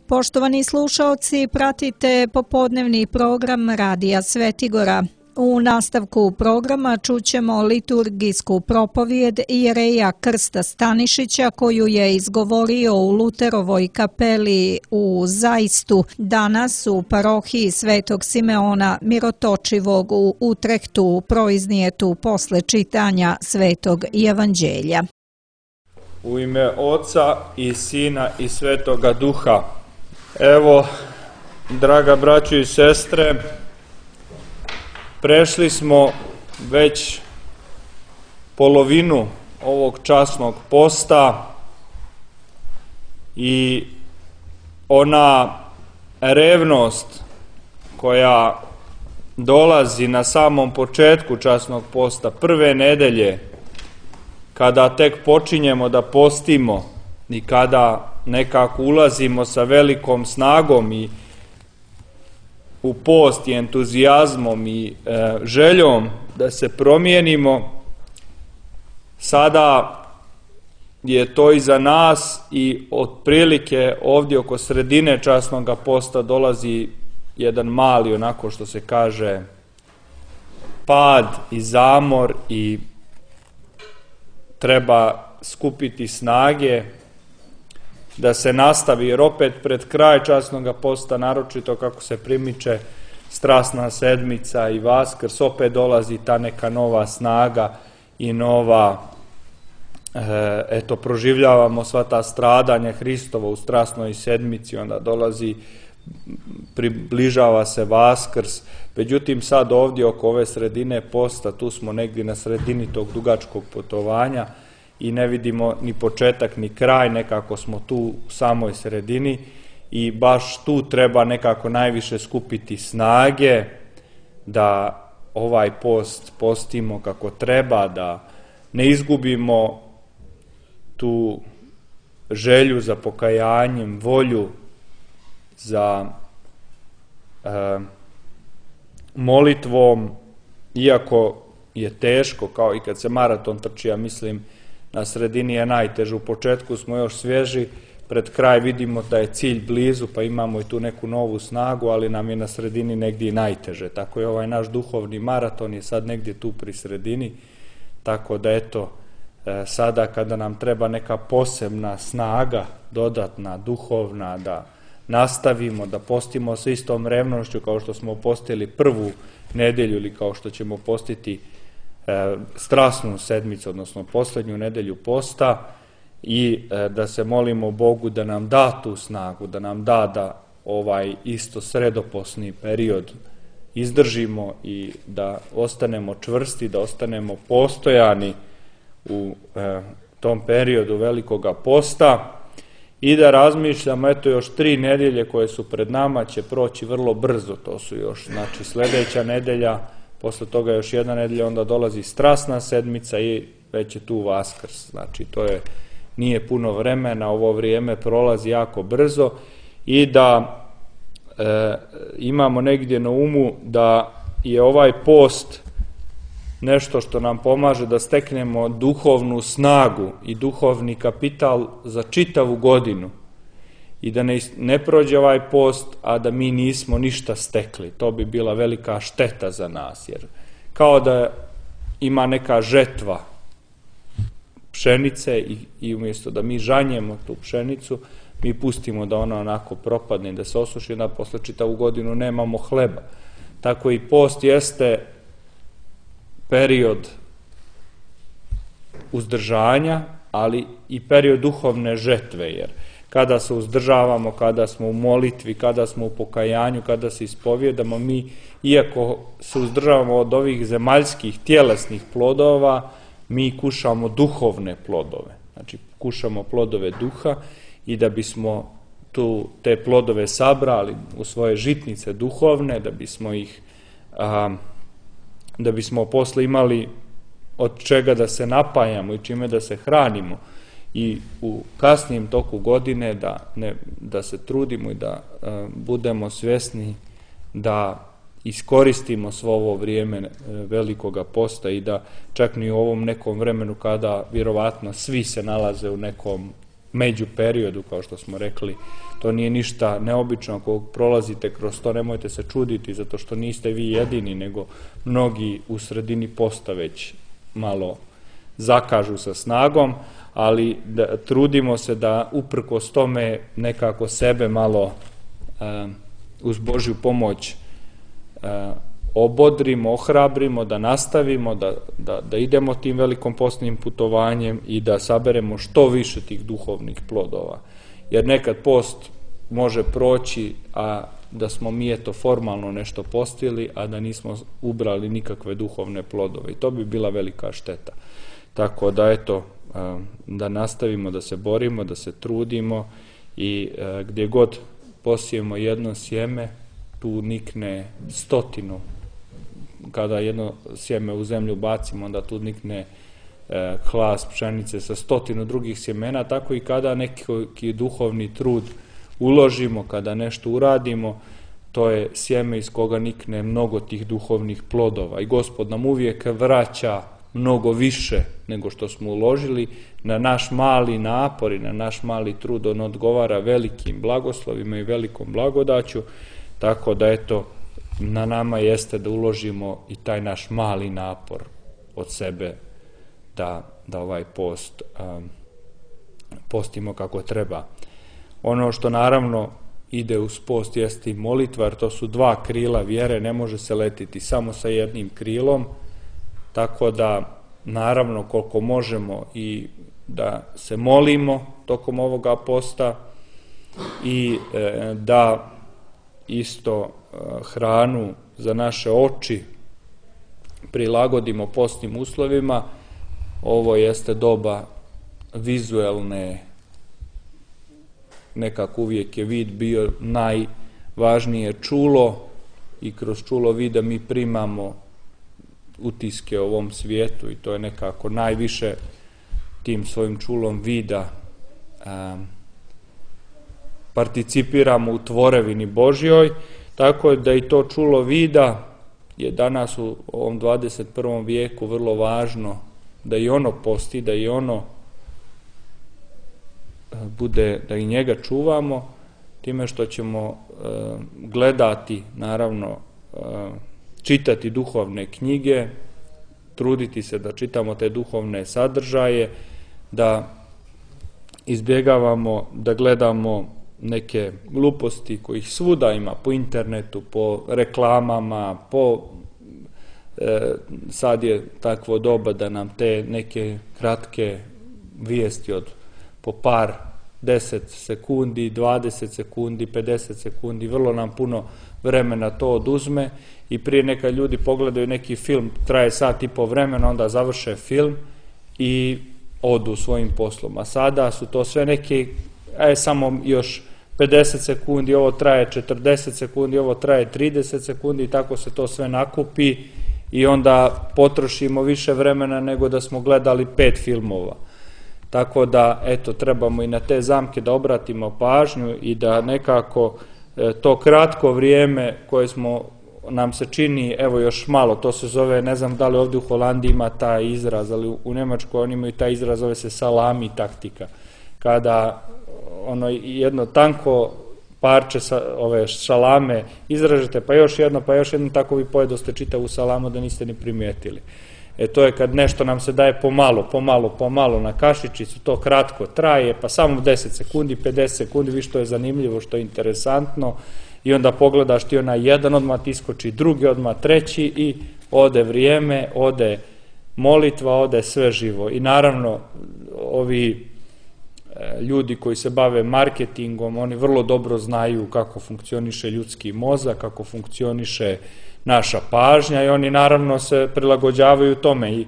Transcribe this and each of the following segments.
Poštovani slušaoci, pratite popodnevni program Radija Svetigora. U nastavku programa čućemo liturgijsku propovijed jereja Krsta Stanišića koju je izgovorio u Luterovoj kapeli u Zajstu danas u parohiji Svetog Simeona Mirotočivog u Utrehtu proiznijetu posle čitanja Svetog Evanđelja. U ime Oca i Sina i Svetoga Duha. Evo, draga braćo i sestre, prešli smo već polovinu ovog časnog posta i ona revnost koja dolazi na samom početku časnog posta, prve nedelje, kada tek počinjemo da postimo i kada nekako ulazimo sa velikom snagom i u post i entuzijazmom i željom da se promijenimo, sada je to iza nas i otprilike ovdje oko sredine časnog posta dolazi jedan mali, onako što se kaže, pad i zamor i treba skupiti snage da se nastavi, jer opet pred kraj časnog posta, naročito kako se primiče Strasna sedmica i Vaskrs, opet dolazi ta neka nova snaga i nova, proživljavamo sva ta stradanja Hristova u Strasnoj sedmici, onda dolazi, približava se Vaskrs. Međutim, sad ovdje oko ove sredine posta, tu smo negdje na sredini tog dugačkog putovanja i ne vidimo ni početak ni kraj, nekako smo tu u samoj sredini i baš tu treba nekako najviše skupiti snage da ovaj post postimo kako treba, da ne izgubimo tu želju za pokajanjem, volju za molitvom, iako je teško, kao i kad se maraton trči, ja mislim, na sredini je najteže. U početku smo još svježi, pred kraj vidimo da je cilj blizu, pa imamo i tu neku novu snagu, ali nam je na sredini negdje i najteže. Tako je ovaj naš duhovni maraton je sad negdje tu pri sredini, tako da eto, sada kada nam treba neka posebna snaga, dodatna, duhovna, da nastavimo, da postimo sa istom revnošću kao što smo postili prvu nedelju ili kao što ćemo postiti Strasnu sedmicu, odnosno posljednju nedelju posta, i da se molimo Bogu da nam da tu snagu, da nam da ovaj isto sredoposni period izdržimo i da ostanemo čvrsti, da ostanemo postojani u tom periodu velikoga posta i da razmišljamo, eto još 3 nedelje koje su pred nama će proći vrlo brzo, to su još, znači, sljedeća nedelja, posle toga još jedna nedelja, onda dolazi Strasna sedmica i već je tu Vaskrs. Znači, nije puno vremena, ovo vrijeme prolazi jako brzo i da imamo negdje na umu da je ovaj post nešto što nam pomaže da steknemo duhovnu snagu i duhovni kapital za čitavu godinu i da ne prođe ovaj post, a da mi nismo ništa stekli. To bi bila velika šteta za nas, jer kao da ima neka žetva pšenice i umjesto da mi žanjemo tu pšenicu, mi pustimo da ona onako propadne, da se osuši, da posle čitavu godinu nemamo hleba. Tako i post jeste period uzdržanja, ali i period duhovne žetve, jer kada se uzdržavamo, kada smo u molitvi, kada smo u pokajanju, kada se ispovjedamo, mi, iako se uzdržavamo od ovih zemaljskih, tjelesnih plodova, mi kušamo duhovne plodove. Znači, kušamo plodove duha i da bismo te plodove sabrali u svoje žitnice duhovne, da bismo posle imali od čega da se napajamo i čime da se hranimo i u kasnijem toku godine da se trudimo i da budemo svjesni da iskoristimo svo ovo vrijeme velikoga posta i da čak ni u ovom nekom vremenu kada vjerovatno svi se nalaze u nekom međuperiodu, kao što smo rekli, to nije ništa neobično. Ako prolazite kroz to, nemojte se čuditi, zato što niste vi jedini, nego mnogi u sredini posta već malo zakažu sa snagom, ali trudimo se da uprkos tome nekako sebe malo uz Božju pomoć obodrimo, ohrabrimo, da nastavimo, da idemo tim velikom postnim putovanjem i da saberemo što više tih duhovnih plodova. Jer nekad post može proći, a da smo mi eto formalno nešto postili, a da nismo ubrali nikakve duhovne plodove. I to bi bila velika šteta. Tako da eto, da nastavimo da se borimo, da se trudimo i gdje god posijemo jedno sjeme, tu nikne 100. Kada jedno sjeme u zemlju bacimo, onda tu nikne hlas pšenice sa 100 drugih sjemena, tako i kada neki duhovni trud uložimo, kada nešto uradimo, to je sjeme iz koga nikne mnogo tih duhovnih plodova. I Gospod nam uvijek vraća mnogo više nego što smo uložili. Na naš mali napor i na naš mali trud on odgovara velikim blagoslovima i velikom blagodaću, tako da eto, na nama jeste da uložimo i taj naš mali napor od sebe da ovaj post postimo kako treba. Ono što naravno ide uz post jeste i molitva, jer to su dva krila vjere, ne može se letiti samo sa jednim krilom, tako da naravno koliko možemo i da se molimo tokom ovoga posta i da isto hranu za naše oči prilagodimo postnim uslovima. Ovo jeste doba vizuelne, nekako uvijek je vid bio najvažnije čulo i kroz čulo vida mi primamo utiske o ovom svijetu i to je nekako najviše tim svojim čulom vida participiramo u tvorevini Božjoj, tako da i to čulo vida je danas u ovom 21. vijeku vrlo važno da i ono posti, da i ono bude, da i njega čuvamo, time što ćemo gledati, naravno, čitati duhovne knjige, truditi se da čitamo te duhovne sadržaje, da izbjegavamo da gledamo neke gluposti kojih svuda ima po internetu, po reklamama, sad je takvo doba da nam te neke kratke vijesti od po par 10 sekundi, 20 sekundi, 50 sekundi, vrlo nam puno vremena to oduzme i prije neka ljudi pogledaju neki film, traje sat i po vremena, onda završe film i odu svojim poslom. A sada su to sve neki, samo još 50 sekundi, ovo traje 40 sekundi, ovo traje 30 sekundi i tako se to sve nakupi i onda potrošimo više vremena nego da smo gledali 5 filmova. Tako da, eto, trebamo i na te zamke da obratimo pažnju i da nekako to kratko vrijeme koje nam se čini, evo još malo, to se zove, ne znam da li ovdje u Holandiji ima taj izraz, ali u Njemačkoj oni imaju taj izraz, zove se salami taktika. Kada jedno tanko parče ove šalame izražete, pa još jedno, tako vi pojedoste čitavu salamu da niste ni primijetili. To je kad nešto nam se daje pomalo na kašičicu, to kratko traje, pa samo 10 sekundi, 50 sekundi, vi što je zanimljivo, što je interesantno i onda pogledaš ti onaj jedan, odmah ti iskoči drugi, odmah treći i ode vrijeme, ode molitva, ode sve živo. I naravno, ovi ljudi koji se bave marketingom, oni vrlo dobro znaju kako funkcioniše ljudski mozak, kako funkcioniše naša pažnja i oni naravno se prilagođavaju tome i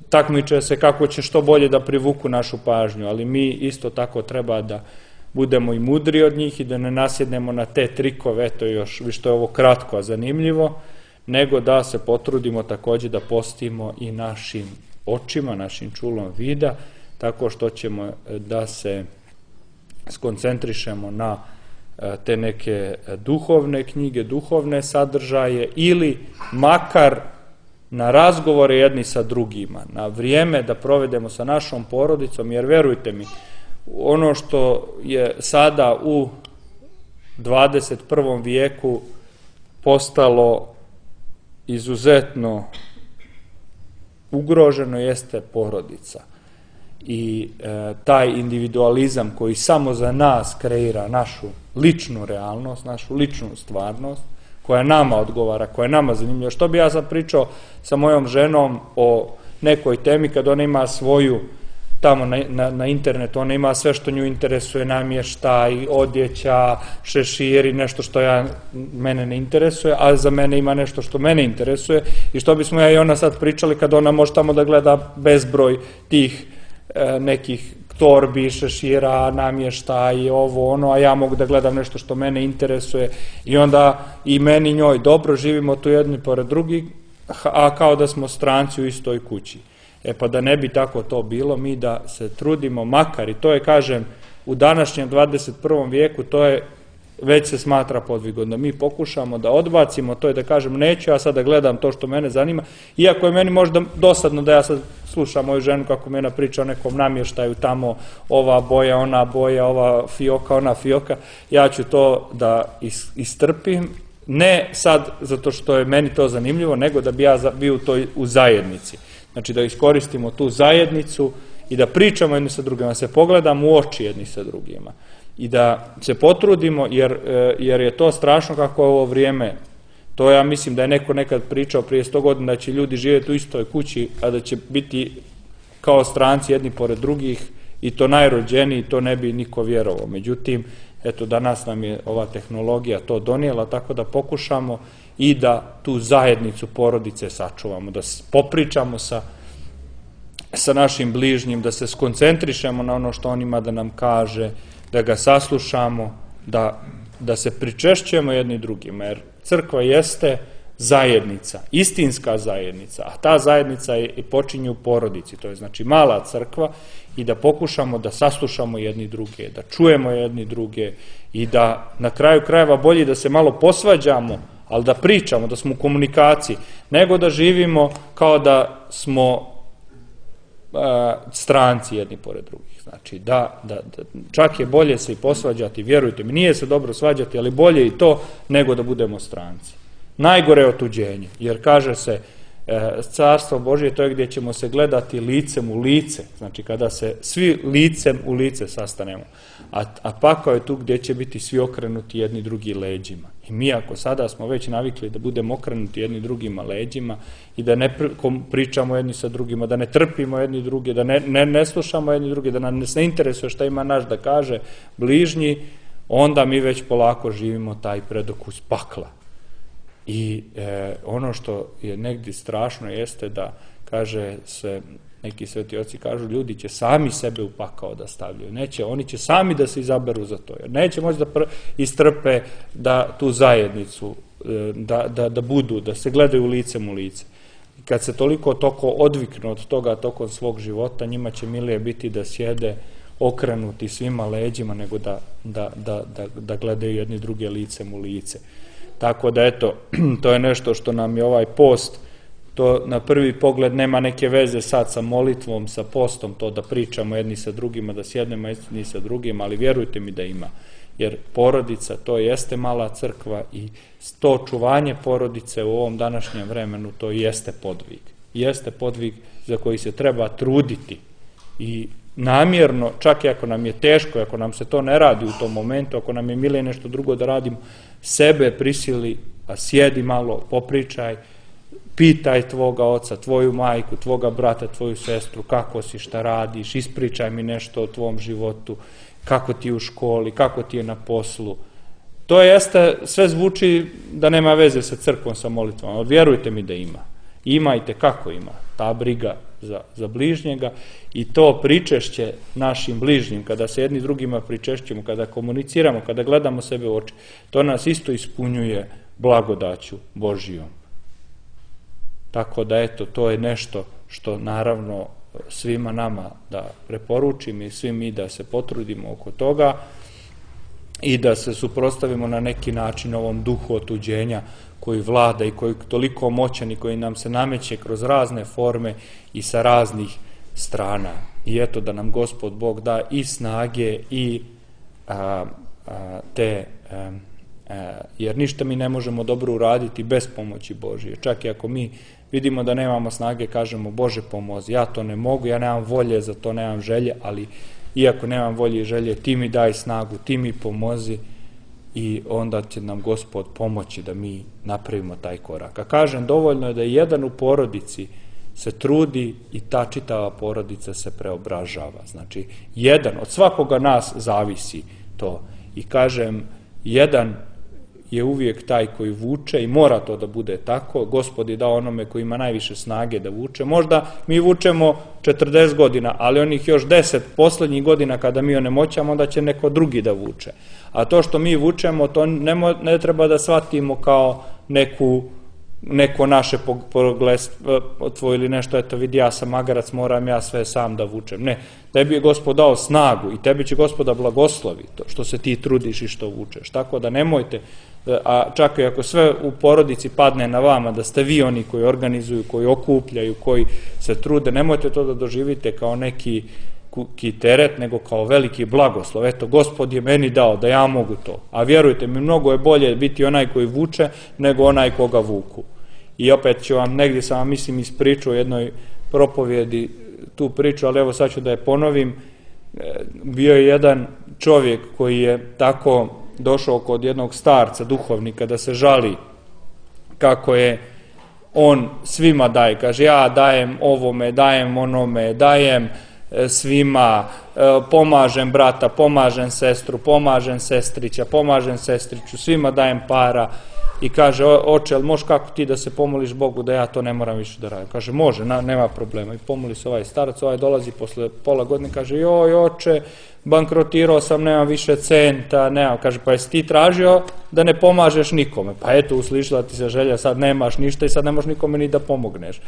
takmiče se kako će što bolje da privuku našu pažnju, ali mi isto tako treba da budemo i mudri od njih i da ne nasjednemo na te trikove, eto još, vi što je ovo kratko, a zanimljivo, nego da se potrudimo također da postimo i našim očima, našim čulom vida, tako što ćemo da se skoncentrišemo na te neke duhovne knjige, duhovne sadržaje ili makar na razgovore jedni sa drugima, na vrijeme da provedemo sa našom porodicom, jer verujte mi, ono što je sada u 21. vijeku postalo izuzetno ugroženo jeste porodica. I taj individualizam koji samo za nas kreira našu ličnu realnost, našu ličnu stvarnost, koja nama odgovara, koja je nama zanimljiva. Što bi ja sad pričao sa mojom ženom o nekoj temi kad ona ima svoju, tamo na internetu, ona ima sve što nju interesuje, namještaj, odjeća, šeširi, nešto što mene ne interesuje, a za mene ima nešto što mene interesuje i što bismo ja i ona sad pričali kad ona može tamo da gleda bezbroj tih nekih torbi, šešira, namještaj, ovo, ono, a ja mogu da gledam nešto što mene interesuje i onda i meni njoj dobro, živimo tu jedni pored drugih, a kao da smo stranci u istoj kući. Pa da ne bi tako to bilo, mi da se trudimo makar, i to je, kažem, u današnjem 21. vijeku, to je, već se smatra podvigom, da mi pokušamo da odbacimo, to je da kažem, neću ja sad da gledam to što mene zanima, iako je meni možda dosadno da ja sad slušam moju ženu kako mena priča o nekom namještaju tamo, ova boja, ona boja, ova fioka, ona fioka, ja ću to da istrpim, ne sad zato što je meni to zanimljivo, nego da bi ja bio u zajednici. Znači da iskoristimo tu zajednicu i da pričamo jedni sa drugima, da se pogledamo u oči jedni sa drugima i da se potrudimo, jer je to strašno kako je ovo vrijeme. To ja mislim da je neko nekad pričao prije 100 godina da će ljudi živjeti u istoj kući, a da će biti kao stranci jedni pored drugih i to najrođeniji, to ne bi niko vjerovao. Međutim, eto, danas nam je ova tehnologija to donijela, tako da pokušamo i da tu zajednicu porodice sačuvamo, da popričamo sa našim bližnjim, da se skoncentrišemo na ono što on ima da nam kaže, da ga saslušamo, da se pričešćujemo jedni drugima, jer crkva jeste zajednica, istinska zajednica, a ta zajednica počinje u porodici, to je znači mala crkva, i da pokušamo da saslušamo jedni druge, da čujemo jedni druge i da na kraju krajeva bolje da se malo posvađamo, ali da pričamo, da smo u komunikaciji, nego da živimo kao da smo stranci jedni pored drugih. Znači da čak je bolje se i posvađati, vjerujte mi, nije se dobro svađati, ali bolje i to nego da budemo stranci. Najgore je otuđenje, jer kaže se Carstvo Božje to je gdje ćemo se gledati licem u lice, znači kada se svi licem u lice sastanemo, a pakao je tu gdje će biti svi okrenuti jedni drugi leđima. I mi ako sada smo već navikli da budemo okrenuti jedni drugima leđima i da ne pričamo jedni sa drugima, da ne trpimo jedni druge, da ne slušamo jedni druge, da nas ne interesuje šta ima naš da kaže bližnji, onda mi već polako živimo taj predokus pakla. I ono što je negdje strašno jeste da, kaže se, neki sveti oci kažu, ljudi će sami sebe u pakao da stavljaju, neće, oni će sami da se izaberu za to, jer neće moći da istrpe da tu zajednicu, da budu, da se gledaju licem u lice. I kad se toliko odviknu od toga tokom svog života, njima će milije biti da sjede okrenuti svima leđima nego da gledaju jedni druge licem u lice. Tako da eto, to je nešto što nam je ovaj post, to na prvi pogled nema neke veze sad sa molitvom, sa postom, to da pričamo jedni sa drugima, da sjednemo jedni sa drugima, ali vjerujte mi da ima. Jer porodica, to jeste mala crkva i to čuvanje porodice u ovom današnjem vremenu, to jeste podvig. Jeste podvig za koji se treba truditi i namjerno, čak i ako nam je teško, ako nam se to ne radi u tom momentu, ako nam je milije nešto drugo da radimo, sebe prisili, a sjedi malo, popričaj, pitaj tvoga oca, tvoju majku, tvoga brata, tvoju sestru, kako si, šta radiš, ispričaj mi nešto o tvom životu, kako ti je u školi, kako ti je na poslu. To jeste, sve zvuči da nema veze sa crkvom, sa molitvom, ali vjerujte mi da ima. Imajte kako ima, ta briga za bližnjega i to pričešće našim bližnjim, kada se jedni drugima pričešćemo, kada komuniciramo, kada gledamo sebe u oči, to nas isto ispunjuje blagodaću Božijom. Tako da eto, to je nešto što naravno svima nama da preporučim i svi mi da se potrudimo oko toga. i da se suprotstavimo na neki način ovom duhu otuđenja koji vlada i koji je toliko moćan i koji nam se nameće kroz razne forme i sa raznih strana. I eto da nam Gospod Bog da i snage i jer ništa mi ne možemo dobro uraditi bez pomoći Božije. Čak i ako mi vidimo da nemamo snage, kažemo Bože pomozi, ja to ne mogu, ja nemam volje za to, nemam želje, ali iako nemam volje i želje, ti mi daj snagu, ti mi pomozi i onda će nam Gospod pomoći da mi napravimo taj korak. A kažem, dovoljno je da jedan u porodici se trudi i ta čitava porodica se preobražava. Znači, jedan od svakoga nas zavisi to. I kažem, jedan je uvijek taj koji vuče i mora to da bude tako. Gospod je dao onome koji ima najviše snage da vuče. Možda mi vučemo 40 godina, ali onih još 10 poslednjih godina kada mi onemoćamo, onda će neko drugi da vuče. A to što mi vučemo, to ne treba da shvatimo kao neko naše progledstvo ili nešto, eto vidi ja sam magarac, moram ja sve sam da vučem. Ne, tebi je Gospod dao snagu i tebi će Gospoda blagoslovi to što se ti trudiš i što vučeš. Tako da nemojte, a čak i ako sve u porodici padne na vama, da ste vi oni koji organizuju, koji okupljaju, koji se trude, nemojte to da doživite kao neki teret, nego kao veliki blagoslov. Eto, Gospod je meni dao da ja mogu to. A vjerujte mi, mnogo je bolje biti onaj koji vuče nego onaj koga vuku. I opet ću vam, negdje sam vam mislim ispričao u jednoj propovjedi tu priču, ali evo sad ću da je ponovim. Bio je jedan čovjek koji je tako došao kod jednog starca, duhovnika, da se žali kako je on svima daje. Kaže, ja dajem ovome, dajem onome, dajem svima, pomažem brata, pomažem sestru, pomažem sestrića, pomažem sestriću, svima dajem para. I kaže, oče, ali možeš kako ti da se pomoliš Bogu da ja to ne moram više da radim? Kaže, može, nema problema. I pomoli se ovaj starac, ovaj dolazi posle pola godine, kaže, joj oče, bankrotirao sam, nemam više centa, nemam. Kaže, pa jesi ti tražio da ne pomažeš nikome? Pa eto, uslišila ti se želja, sad nemaš ništa i sad ne možeš nikome ni da pomogneš.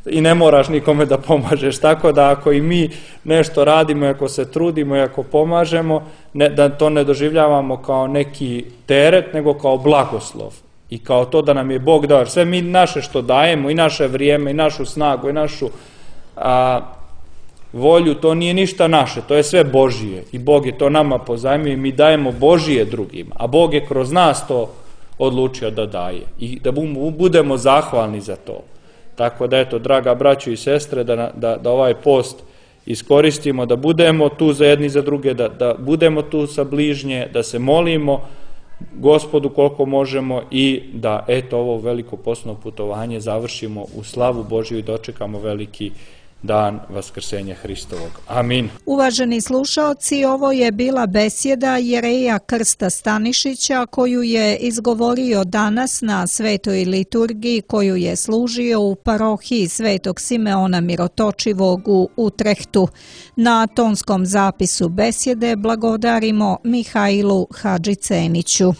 I ne moraš nikome da pomažeš, tako da ako i mi nešto radimo, ako se trudimo i ako pomažemo, da to ne doživljavamo kao neki teret, nego kao blagoslov i kao to da nam je Bog dao. Sve mi naše što dajemo, i naše vrijeme, i našu snagu, i našu volju, to nije ništa naše, to je sve Božije i Bog je to nama pozajmio i mi dajemo Božije drugima, a Bog je kroz nas to odlučio da daje i da budemo zahvalni za to. Tako da eto, draga braćo i sestre, da ovaj post iskoristimo, da budemo tu za jedni za druge, da budemo tu sa bližnje, da se molimo Gospodu koliko možemo i da eto ovo veliko postno putovanje završimo u slavu Božju i dočekamo veliki dan Vaskrsenja Hristovog. Amin. Uvaženi slušaoci, ovo je bila besjeda jereja Krsta Stanišića koju je izgovorio danas na svetoj liturgiji koju je služio u parohiji Svetog Simeona Mirotočivog u Utrehtu. Na tonskom zapisu besjede blagodarimo Mihajlu Hadžiceniću.